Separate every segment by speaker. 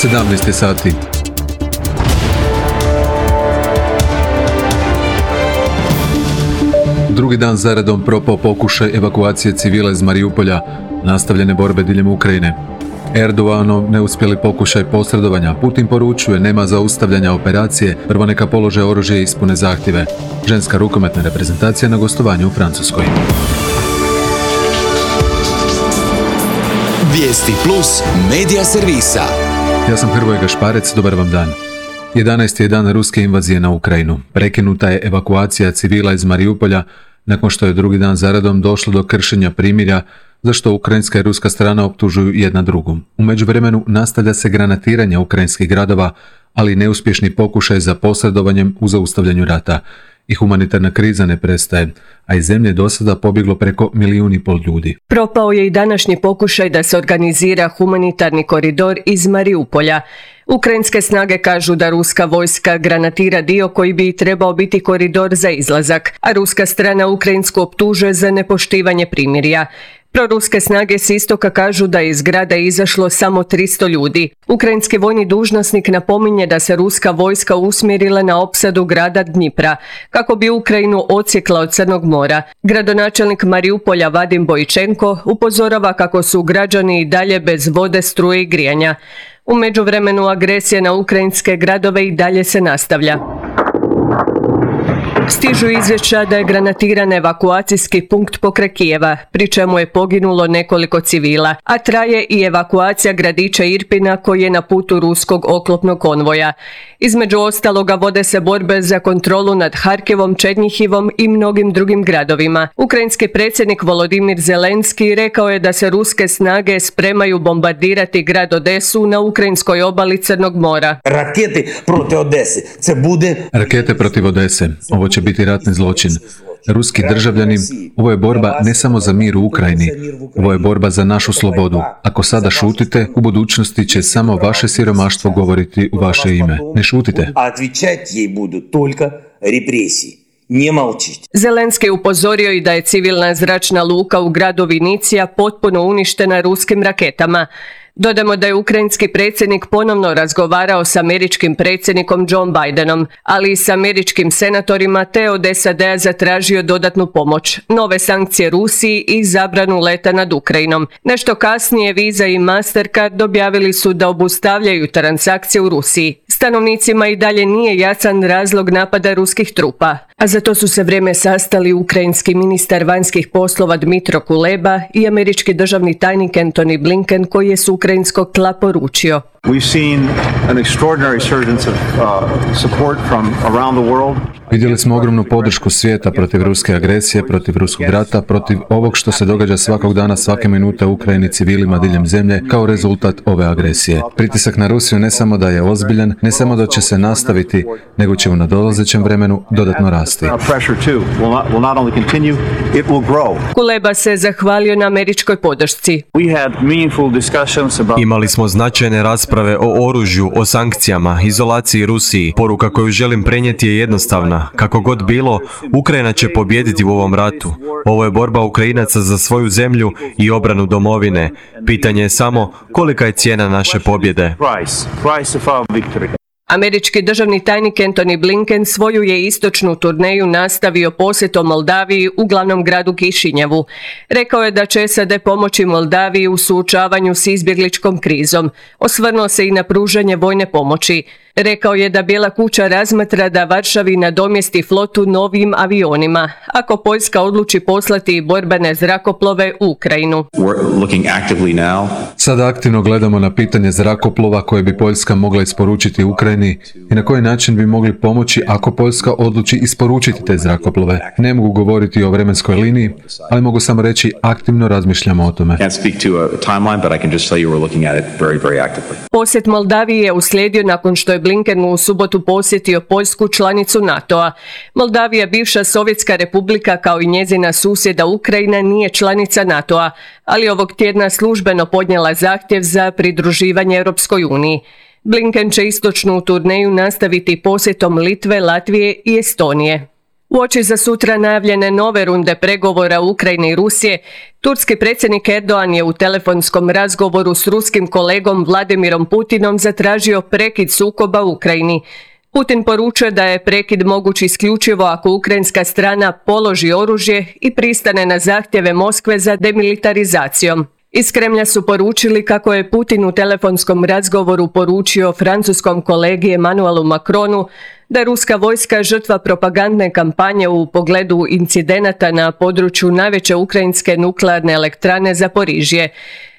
Speaker 1: 17 sati. Drugi dan zaredom propao pokušaj evakuacije civila iz Mariupolja, nastavljene borbe diljem Ukrajine. Erdoganov neuspjeli pokušaj posredovanja. Putin poručuje nema zaustavljanja operacije, prvo neka polože oružje i ispune zahtjeve. Ženska rukometna reprezentacija na gostovanju u Francuskoj.
Speaker 2: Vijesti plus medija servisa.
Speaker 1: Ja sam Hrvoje Gašparec, dobar vam dan. 11. je dan ruske invazije na Ukrajinu. Prekinuta je evakuacija civila iz Mariupolja nakon što je drugi dan zaredom došlo do kršenja primirja, za što ukrajinska i ruska strana optužuju jedna drugu. U međuvremenu nastavlja se granatiranje ukrajinskih gradova, ali neuspješni pokušaj za posredovanjem u zaustavljanju rata. I humanitarna kriza ne prestaje, a iz zemlje do sada pobjeglo preko 1,5 milijuna ljudi.
Speaker 3: Propao je i današnji pokušaj da se organizira humanitarni koridor iz Mariupolja. Ukrajinske snage kažu da ruska vojska granatira dio koji bi trebao biti koridor za izlazak, a ruska strana ukrajinsku optužuje za nepoštivanje primirja. Proruske snage s istoka kažu da je iz grada izašlo samo 300 ljudi. Ukrajinski vojni dužnosnik napominje da se ruska vojska usmjerila na opsadu grada Dnjipra, kako bi Ukrajinu odsjekla od Crnog mora. Gradonačelnik Mariupolja Vadim Bojčenko upozorava kako su građani i dalje bez vode, struje i grijanja. U međuvremenu agresija na ukrajinske gradove i dalje se nastavlja. Stižu izvješća da je granatiran evakuacijski punkt pokraj Kijeva, pri čemu je poginulo nekoliko civila, a traje i evakuacija gradića Irpina koji je na putu ruskog oklopnog konvoja. Između ostaloga vode se borbe za kontrolu nad Harkivom, Černjihivom i mnogim drugim gradovima. Ukrajinski predsjednik Volodimir Zelenski rekao je da se ruske snage spremaju bombardirati grad Odesu na ukrajinskoj obali Crnog mora.
Speaker 1: Rakete protiv Odese. Ovo će biti ratni zločin. Ruski državljani, ovo je borba ne samo za mir u Ukrajini, ovo je borba za našu slobodu. Ako sada šutite, u budućnosti će samo vaše siromaštvo govoriti u vaše ime. Ne šutite.
Speaker 3: Zelenski je upozorio i da je civilna zračna luka u gradu Vinicija potpuno uništena ruskim raketama. Dodamo da je ukrajinski predsjednik ponovno razgovarao s američkim predsjednikom Joe Bidenom, ali i s američkim senatorima te od SAD-a zatražio dodatnu pomoć, nove sankcije Rusiji i zabranu leta nad Ukrajinom. Nešto kasnije Visa i Mastercard objavili su da obustavljaju transakcije u Rusiji. Stanovnicima i dalje nije jasan razlog napada ruskih trupa, a za to su se vrijeme sastali ukrajinski ministar vanjskih poslova Dmitro Kuleba i američki državni tajnik Antony Blinken koji je s ukrajinskog tla poručio.
Speaker 1: Vidjeli smo ogromnu podršku svijeta protiv ruske agresije, protiv ruskog rata, protiv ovog što se događa svakog dana, svake minute u Ukrajini civilima diljem zemlje kao rezultat ove agresije. Pritisak na Rusiju ne samo da je ozbiljan, ne samo da će se nastaviti, nego će u nadolazećem vremenu dodatno rasti.
Speaker 3: Kuleba se zahvalio na američkoj podršci.
Speaker 4: Imali smo značajne rasprave o oružju, o sankcijama, izolaciji Rusiji. Poruka koju želim prenijeti je jednostavna. Kako god bilo, Ukrajina će pobijediti u ovom ratu. Ovo je borba Ukrajinaca za svoju zemlju i obranu domovine. Pitanje je samo kolika je cijena naše pobjede.
Speaker 3: Američki državni tajnik Antony Blinken svoju je istočnu turneju nastavio posjetom Moldaviji u glavnom gradu Kišinjevu. Rekao je da će SAD pomoći Moldaviji u suočavanju s izbjegličkom krizom. Osvrnuo se i na pružanje vojne pomoći. Rekao je da Bijela kuća razmatra da Varšavi nadomjesti flotu novim avionima, ako Poljska odluči poslati borbene zrakoplove u Ukrajinu.
Speaker 1: Sada aktivno gledamo na pitanje zrakoplova koje bi Poljska mogla isporučiti Ukrajini i na koji način bi mogli pomoći ako Poljska odluči isporučiti te zrakoplove. Ne mogu govoriti o vremenskoj liniji, ali mogu samo reći aktivno razmišljamo o tome.
Speaker 3: Posjet Moldaviji je uslijedio nakon što je Blinken u subotu posjetio Poljsku, članicu NATO-a. Moldavija, bivša Sovjetska republika kao i njezina susjeda Ukrajina, nije članica NATO-a, ali ovog tjedna službeno podnijela zahtjev za pridruživanje Europskoj uniji. Blinken će istočnu turneju nastaviti posjetom Litve, Latvije i Estonije. Uoči za sutra najavljene nove runde pregovora Ukrajine i Rusije, turski predsjednik Erdogan je u telefonskom razgovoru s ruskim kolegom Vladimirom Putinom zatražio prekid sukoba u Ukrajini. Putin poručuje da je prekid moguć isključivo ako ukrajinska strana položi oružje i pristane na zahtjeve Moskve za demilitarizacijom. Iz Kremlja su poručili kako je Putin u telefonskom razgovoru poručio francuskom kolegi Emmanuelu Macronu da je ruska vojska žrtva propagandne kampanje u pogledu incidenata na području najveće ukrajinske nuklearne elektrane Zaporižje.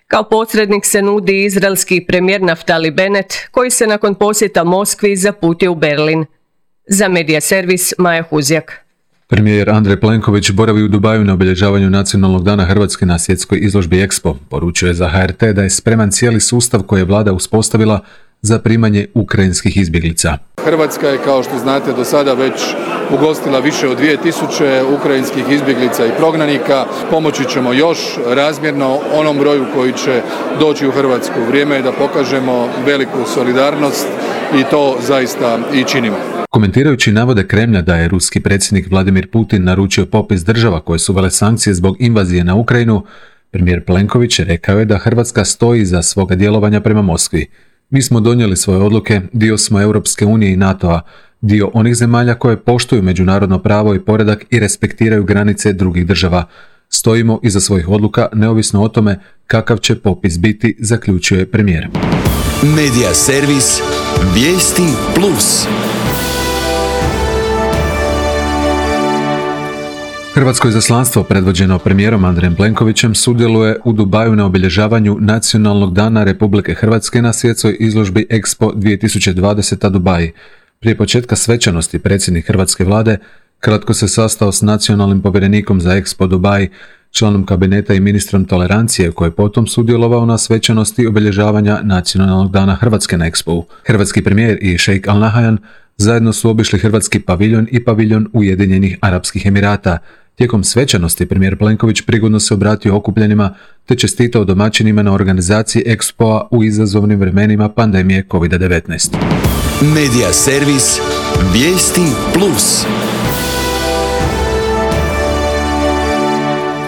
Speaker 3: Kao posrednik se nudi izraelski premijer Naftali Bennett, koji se nakon posjeta Moskvi zaputio u Berlin. Za Medija servis Maja Huzjak.
Speaker 1: Premijer Andrej Plenković boravi u Dubaju na obilježavanju Nacionalnog dana Hrvatske na svjetskoj izložbi Expo. Poručio je za HRT da je spreman cijeli sustav koji je vlada uspostavila za primanje ukrajinskih izbjeglica.
Speaker 5: Hrvatska je, kao što znate, do sada već ugostila više od 2000 ukrajinskih izbjeglica i prognanika. Pomoći ćemo još razmjerno onom broju koji će doći u Hrvatsku. Vrijeme je da pokažemo veliku solidarnost i to zaista i činimo.
Speaker 1: Komentirajući navode Kremlja da je ruski predsjednik Vladimir Putin naručio popis država koje su uvele sankcije zbog invazije na Ukrajinu, premijer Plenković rekao je da Hrvatska stoji iza svoga djelovanja prema Moskvi. Mi smo donijeli svoje odluke, dio smo Europske unije i NATO-a, dio onih zemalja koje poštuju međunarodno pravo i poredak i respektiraju granice drugih država. Stojimo iza svojih odluka neovisno o tome kakav će popis biti, zaključuje premijer.
Speaker 2: Medija servis Vijesti Plus.
Speaker 1: Hrvatsko izaslanstvo predvođeno premijerom Andrejem Plenkovićem sudjeluje u Dubaju na obilježavanju Nacionalnog dana Republike Hrvatske na svjetskoj izložbi Expo 2020 Dubai. Prije početka svečanosti predsjednik hrvatske vlade kratko se sastao s nacionalnim povjerenikom za Expo Dubai, članom kabineta i ministrom tolerancije koji je potom sudjelovao na svečanosti obilježavanja Nacionalnog dana Hrvatske na Expo. Hrvatski premijer i šejk Al Nahyan zajedno su obišli hrvatski paviljon i paviljon Ujedinjenih Arapskih Emirata. Tijekom svečanosti premijer Plenković prigodno se obratio okupljenima te čestitao domaćinima na organizaciji Expo-a u izazovnim vremenima pandemije COVID-19.
Speaker 2: Medija servis Vijesti Plus.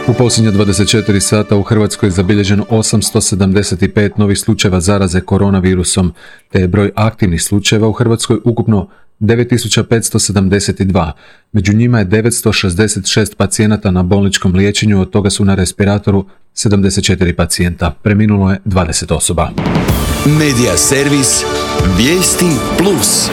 Speaker 1: U posljednja 24 sata u Hrvatskoj je zabilježeno 875 novih slučajeva zaraze koronavirusom, te je broj aktivnih slučajeva u Hrvatskoj ukupno 9572. Među njima je 966 pacijenata na bolničkom liječenju, od toga su na respiratoru 74 pacijenta. Preminulo je 20 osoba.
Speaker 2: Medija servis Vijesti Plus.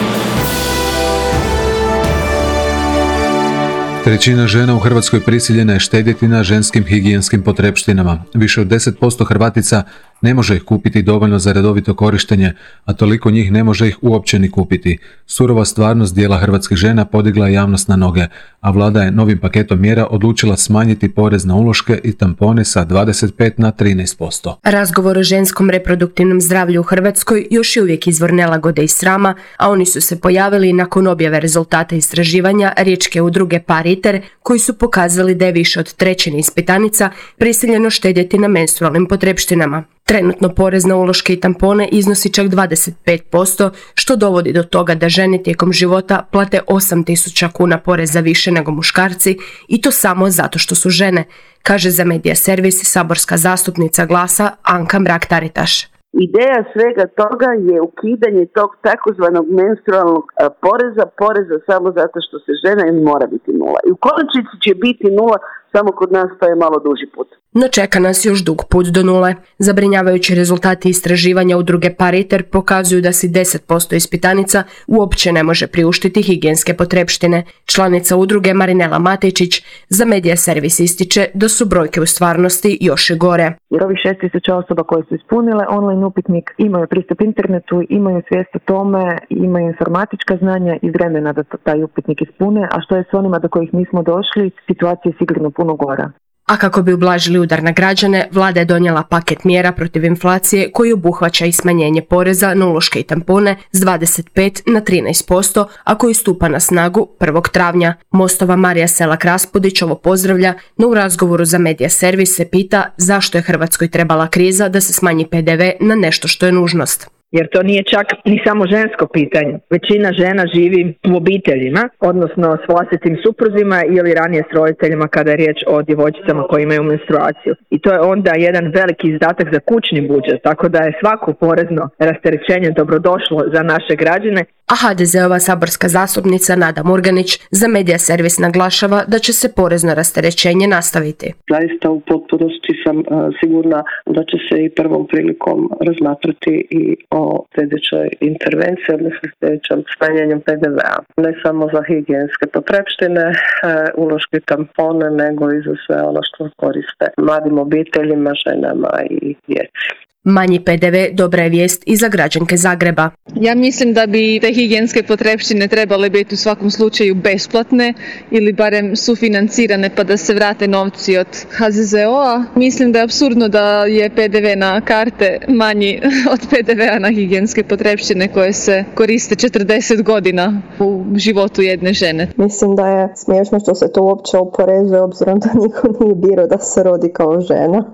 Speaker 1: Trećina žena u Hrvatskoj prisiljena je štedjeti na ženskim higijenskim potrepštinama. Više od 10% Hrvatica ne može ih kupiti dovoljno za redovito korištenje, a toliko njih ne može ih uopće ni kupiti. Surova stvarnost dijela hrvatskih žena podigla je javnost na noge, a vlada je novim paketom mjera odlučila smanjiti porez na uloške i tampone sa 25 na 13%.
Speaker 6: Razgovor o ženskom reproduktivnom zdravlju u Hrvatskoj još je uvijek izvor nelagode i srama, a oni su se pojavili nakon objave rezultata istraživanja riječke udruge Pariter, koji su pokazali da je više od trećine ispitanica prisiljeno štedjeti na menstrualnim potrepštinama. Trenutno porez na uloške i tampone iznosi čak 25%, što dovodi do toga da žene tijekom života plate 8.000 kuna poreza više nego muškarci, i to samo zato što su žene, kaže za Medija servis saborska zastupnica Glasa Anka Mrak-Taritaš.
Speaker 7: Ideja svega toga je ukidanje tog takozvanog menstrualnog poreza samo zato što se žena i mora biti nula. I u konačnici će biti nula, samo kod nas to je malo duži put.
Speaker 6: No čeka nas još dug put do nule. Zabrinjavajući rezultati istraživanja udruge Pariter pokazuju da si 10% ispitanica uopće ne može priuštiti higijenske potrepštine. Članica udruge Marinela Matečić za Medija servis ističe da su brojke u stvarnosti još i gore.
Speaker 8: Jer ovih 6.000 osoba koje su ispunile online upitnik imaju pristup internetu, imaju svijest o tome, imaju informatička znanja i vremena da taj upitnik ispune, a što je s onima do kojih nismo došli, situacija je sigurno puno gora.
Speaker 6: A kako bi ublažili udar na građane, vlada je donijela paket mjera protiv inflacije koji obuhvaća i smanjenje poreza na uloške i tampone s 25 na 13%, a koji stupa na snagu 1. travnja. Mostova Marija Selak-Raspudić ovo pozdravlja, no u razgovoru za Medija servis se pita zašto je Hrvatskoj trebala kriza da se smanji PDV na nešto što je nužnost.
Speaker 8: jer to nije čak ni samo žensko pitanje. Većina žena živi u obiteljima, odnosno s vlastitim supruzima ili ranije s roditeljima kada je riječ o djevojčicama koje imaju menstruaciju. I to je onda jedan veliki izdatak za kućni budžet, tako da je svako porezno rasterećenje dobrodošlo za naše građane.
Speaker 6: A HDZ-ova saborska zastupnica Nada Murganić za Medija servis naglašava da će se porezno rasterećenje nastaviti.
Speaker 9: Zaista u potpunosti sam sigurna da će se i prvom prilikom razmatrati i o sljedećoj intervenciji, odnosno sljedećem smanjenju PDV-a. Ne samo za higijenske potrepštine, uloške, tampone, nego i za sve ono što koriste mladim obiteljima, ženama i djeci.
Speaker 6: Manji PDV dobra je vijest i za građanke Zagreba.
Speaker 10: Ja mislim da bi te higijenske potrepštine trebale biti u svakom slučaju besplatne ili barem sufinancirane pa da se vrate novci od HZZO-a. Mislim da je apsurdno da je PDV na karte manji od PDV-a na higijenske potrepštine koje se koriste 40 godina u životu jedne žene.
Speaker 11: Mislim da je smiješno što se to uopće oporezuje obzirom da niko nije birao da se rodi kao žena.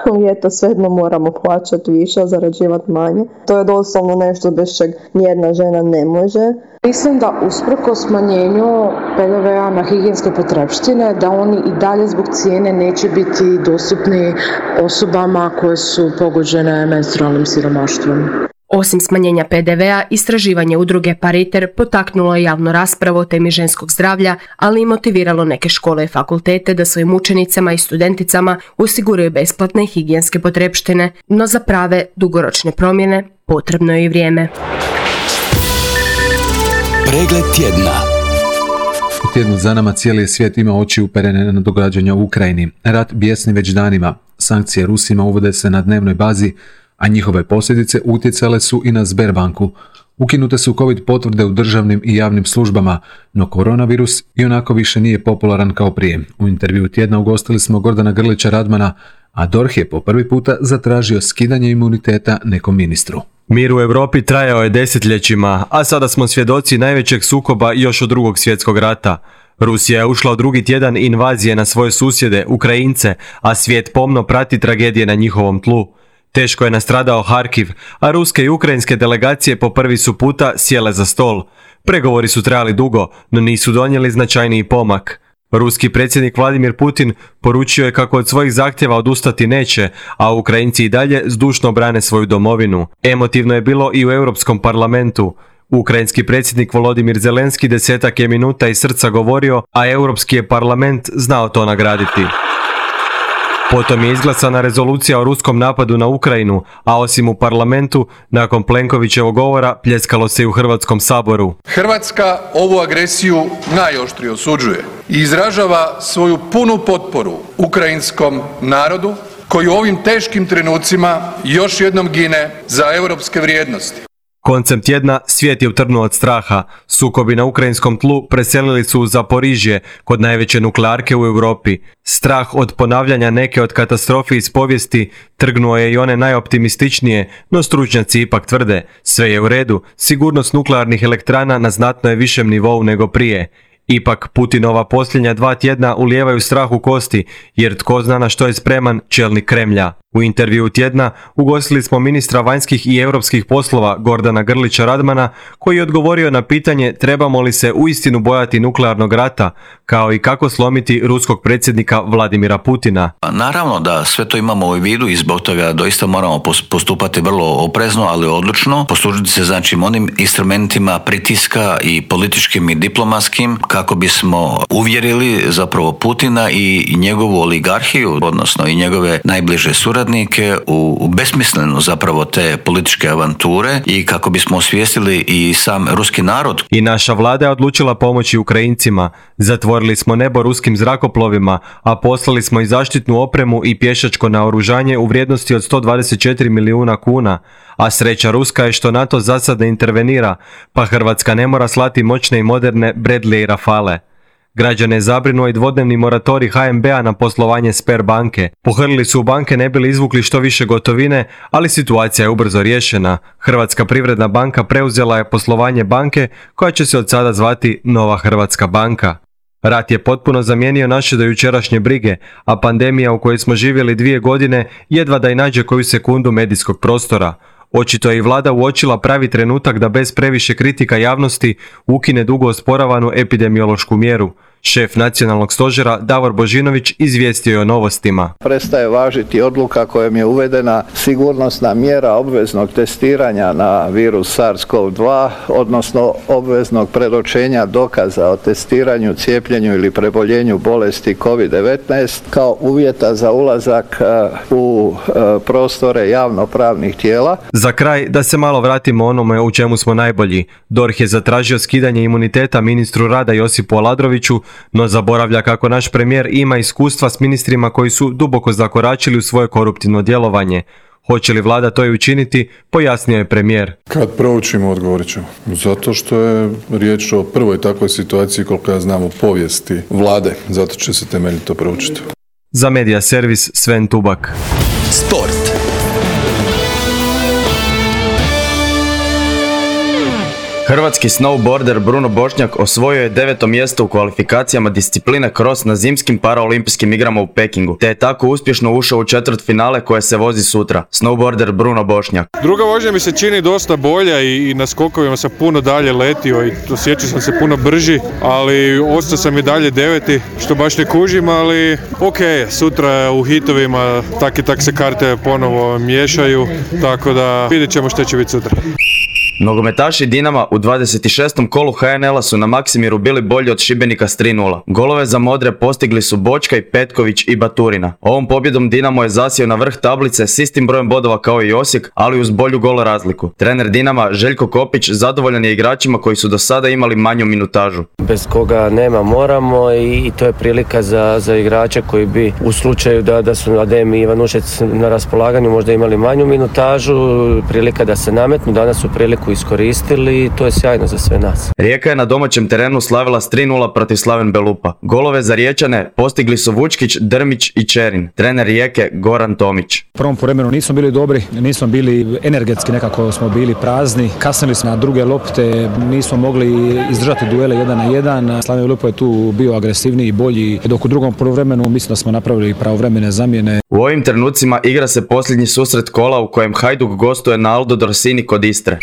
Speaker 11: Ali eto, svejedno moramo plaćati više, a zarađivati manje. To je doslovno nešto bez čeg nijedna žena ne može.
Speaker 12: Mislim da usprkos smanjenju PDV-a na higijenske potrepštine, da oni i dalje zbog cijene neće biti dostupni osobama koje su pogođene menstrualnim siromaštvom.
Speaker 6: Osim smanjenja PDV-a, istraživanje udruge Pariter potaknulo je javnu raspravu o temi ženskog zdravlja, ali i motiviralo neke škole i fakultete da svojim učenicama i studenticama osiguraju besplatne higijenske potrepštine, no za prave dugoročne promjene potrebno je i vrijeme.
Speaker 2: Pregled tjedna.
Speaker 1: U tjednu za nama cijeli svijet ima oči uperene na događanja u Ukrajini. Rat bijesni već danima. Sankcije Rusima uvode se na dnevnoj bazi, a njihove posljedice utjecale su i na Sberbanku. Ukinute su COVID potvrde u državnim i javnim službama, no koronavirus ionako više nije popularan kao prije. U intervjuu tjedna ugostili smo Gordana Grlića Radmana, a DORH je po prvi puta zatražio skidanje imuniteta nekom ministru.
Speaker 4: Mir u Europi trajao je desetljećima, a sada smo svjedoci najvećeg sukoba još od Drugog svjetskog rata. Rusija je ušla u drugi tjedan invazije na svoje susjede, Ukrajince, a svijet pomno prati tragedije na njihovom tlu. Teško je nastradao Harkiv, a ruske i ukrajinske delegacije po prvi su puta sjele za stol. Pregovori su trajali dugo, no nisu donijeli značajniji pomak. Ruski predsjednik Vladimir Putin poručio je kako od svojih zahtjeva odustati neće, a Ukrajinci i dalje zdušno brane svoju domovinu. Emotivno je bilo i u Europskom parlamentu. Ukrajinski predsjednik Volodimir Zelenski 10 je minuta iz srca govorio, a Europski je parlament znao to nagraditi. Potom je izglasana rezolucija o ruskom napadu na Ukrajinu, a osim u parlamentu, nakon Plenkovićevog govora, pljeskalo se i u Hrvatskom saboru.
Speaker 5: Hrvatska ovu agresiju najoštrije osuđuje i izražava svoju punu potporu ukrajinskom narodu koji u ovim teškim trenucima još jednom gine za europske vrijednosti.
Speaker 4: Koncem tjedna svijet je utrnuo od straha. Sukobi na ukrajinskom tlu preselili su u Zaporižje, kod najveće nuklearke u Europi. Strah od ponavljanja neke od katastrofi iz povijesti trgnuo je i one najoptimističnije, no stručnjaci ipak tvrde, sve je u redu, sigurnost nuklearnih elektrana na znatno je višem nivou nego prije. Ipak Putinova posljednja 2 tjedna ulijevaju strah u kosti, jer tko zna na što je spreman čelnik Kremlja. U intervjuu tjedna ugostili smo ministra vanjskih i europskih poslova Gordana Grlića Radmana, koji je odgovorio na pitanje trebamo li se uistinu bojati nuklearnog rata, kao i kako slomiti ruskog predsjednika Vladimira Putina.
Speaker 13: Naravno da sve to imamo u vidu i zbog toga doista moramo postupati vrlo oprezno, ali odlučno, poslužiti se znači onim instrumentima pritiska i političkim i diplomatskim kako bismo uvjerili zapravo Putina i njegovu oligarhiju, odnosno i njegove najbliže suradnike u besmislenu zapravo te političke avanture i kako bismo osvijestili i sam ruski narod.
Speaker 4: I naša vlada je odlučila pomoći Ukrajincima. Zatvorili smo nebo ruskim zrakoplovima, a poslali smo i zaštitnu opremu i pješačko naoružanje u vrijednosti od 124 milijuna kuna. A sreća ruska je što NATO za sad ne intervenira, pa Hrvatska ne mora slati moćne i moderne Bradley i Rafale. Građane je zabrinuo i dvodnevni moratorij HNB-a na poslovanje Sberbanke. Pohrlili su u banke ne bili izvukli što više gotovine, ali situacija je ubrzo riješena. Hrvatska privredna banka preuzela je poslovanje banke koja će se od sada zvati Nova Hrvatska banka. Rat je potpuno zamijenio naše dojučerašnje brige, a pandemija u kojoj smo živjeli 2 godine jedva da i nađe koju sekundu medijskog prostora. Očito je i vlada uočila pravi trenutak da bez previše kritika javnosti ukine dugo osporavanu epidemiološku mjeru. Šef nacionalnog stožera Davor Božinović izvijestio je o novostima.
Speaker 14: Prestaje važiti odluka kojom je uvedena sigurnosna mjera obveznog testiranja na virus SARS-CoV-2, odnosno obveznog predočenja dokaza o testiranju, cijepljenju ili preboljenju bolesti COVID-19 kao uvjeta za ulazak u prostore javnopravnih tijela.
Speaker 4: Za kraj, da se malo vratimo onome u čemu smo najbolji. DORH je zatražio skidanje imuniteta ministru rada Josipu Aladroviću, no zaboravlja kako naš premijer ima iskustva s ministrima koji su duboko zakoračili u svoje koruptivno djelovanje. Hoće li vlada to i učiniti, pojasnio je premijer.
Speaker 5: Kad proučimo, odgovorit ćemo. Zato što je riječ o prvoj takvoj situaciji, koliko ja znam, u povijesti vlade. Zato će se temeljito proučiti.
Speaker 4: Za Media Servis Sven Tubak.
Speaker 2: Sport.
Speaker 15: Hrvatski snowboarder Bruno Bošnjak osvojio je 9. mjesto u kvalifikacijama discipline cross na zimskim paraolimpijskim igrama u Pekingu, te je tako uspješno ušao u četvrtfinale koje se vozi sutra. Snowboarder Bruno Bošnjak.
Speaker 16: Druga vožnja mi se čini dosta bolja i na skokovima sam puno dalje letio i osjećao sam se puno brži, ali ostao sam i dalje 9. što baš ne kužim, ali ok, sutra u hitovima tak i tak se karte ponovo miješaju, tako da vidjet ćemo što će biti sutra.
Speaker 15: Nogometaši Dinama u 26. kolu HNL-a su na Maksimiru bili bolji od Šibenika s 3:0. Golove za modre postigli su Bočkaj, Petković i Baturina. Ovom pobjedom Dinamo je zasjeo na vrh tablice s istim brojem bodova kao i Osijek, ali uz bolju gol razliku. Trener Dinama Željko Kopić zadovoljan je igračima koji su do sada imali manju minutažu.
Speaker 17: Bez koga nema moramo i to je prilika za igrače koji bi u slučaju da su Adem i Ivanušec na raspolaganju možda imali manju minutažu, prilika da se nametnu, danas su priliku iskoristili i to je sjajno za sve nas.
Speaker 15: Rijeka je na domaćem terenu slavila s 3:0 protiv Slaven Belupa. Golove za Riječane postigli su Vučkić, Drmić i Čerin. Trener Rijeke Goran Tomić.
Speaker 18: U prvom povremenu nismo bili dobri, nismo bili energetski, nekako smo bili prazni. Kasnili smo na druge lopte, nismo mogli izdržati duele 1 na 1. Slaven Belupa je tu bio agresivniji i bolji, dok u drugom poluvremenu mislim da smo napravili pravovremene zamjene.
Speaker 15: U ovim trenucima igra se posljednji susret kola u kojem Hajduk gostuje na Aldo Dorsini kod Istre.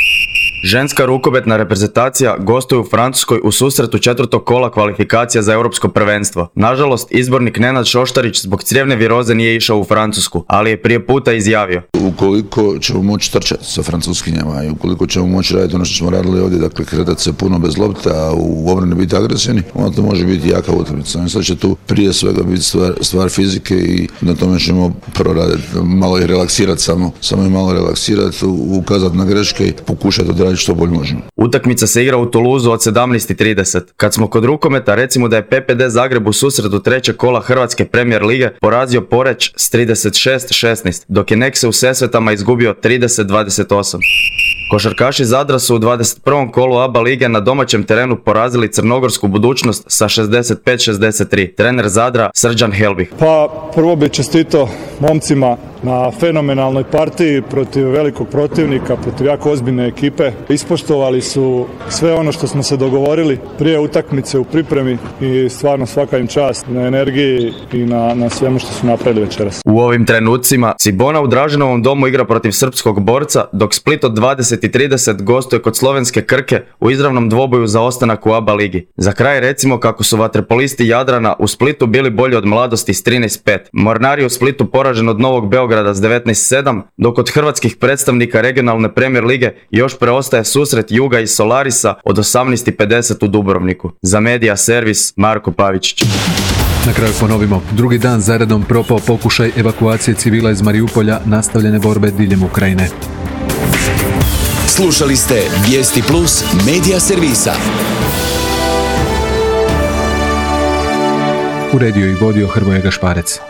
Speaker 15: Ženska rukometna reprezentacija gostuje u Francuskoj u susretu 4. kola kvalifikacija za europsko prvenstvo. Nažalost, izbornik Nenad Šoštarić zbog crijevne viroze nije išao u Francusku, ali je prije puta izjavio:
Speaker 19: ukoliko ćemo moći trčati sa francuskinjama i ukoliko ćemo moći raditi ono što smo radili ovdje, dakle kretati se puno bez lopta, a u obrani biti agresivni, onda to može biti jaka utakmica. Sad će tu prije svega biti stvar fizike i na tome ćemo prvo raditi, malo ih relaksirati, samo i malo relaksirati, ukazati na greške i pokušati odraditi što bolje možemo.
Speaker 15: Utakmica se igra u Toulouseu od 17:30. Kad smo kod rukometa, recimo da je PPD Zagreb u susretu 3. kola Hrvatske Premier lige porazio Poreć s 36-16, dok je Nexe u Sesvetama izgubio 30-28. Košarkaši Zadra su u 21. kolu ABA lige na domaćem terenu porazili Crnogorsku Budućnost sa 65-63. Trener Zadra Srđan Helbih.
Speaker 20: Pa prvo bih čestitao momcima na fenomenalnoj partiji protiv velikog protivnika, protiv jako ozbiljne ekipe. Ispoštovali su sve ono što smo se dogovorili prije utakmice u pripremi i stvarno svaka im čast na energiji i na svemu što su napravili večeras.
Speaker 15: U ovim trenucima Cibona u Draženovom domu igra protiv srpskog Borca, dok Split od 20:30 gostuje kod slovenske Krke u izravnom dvoboju za ostanak u ABA ligi. Za kraj recimo kako su vaterpolisti Jadrana u Splitu bili bolji od Mladosti s 13:5. Mornari u Splitu poražen od Novog Beograda s 19:7, dok od hrvatskih predstavnika regionalne Premier lige još preostaje susret Juga i Solarisa od 18:50 u Dubrovniku. Za Media Servis Marko Pavičić.
Speaker 1: Na kraju ponovimo, drugi dan zaredom propao pokušaj evakuacije civila iz Mariupolja, nastavljene borbe diljem Ukrajine.
Speaker 2: Slušali ste Vijesti Plus Media Servisa.
Speaker 1: Uredio i vodio Hrvoje Gašparec.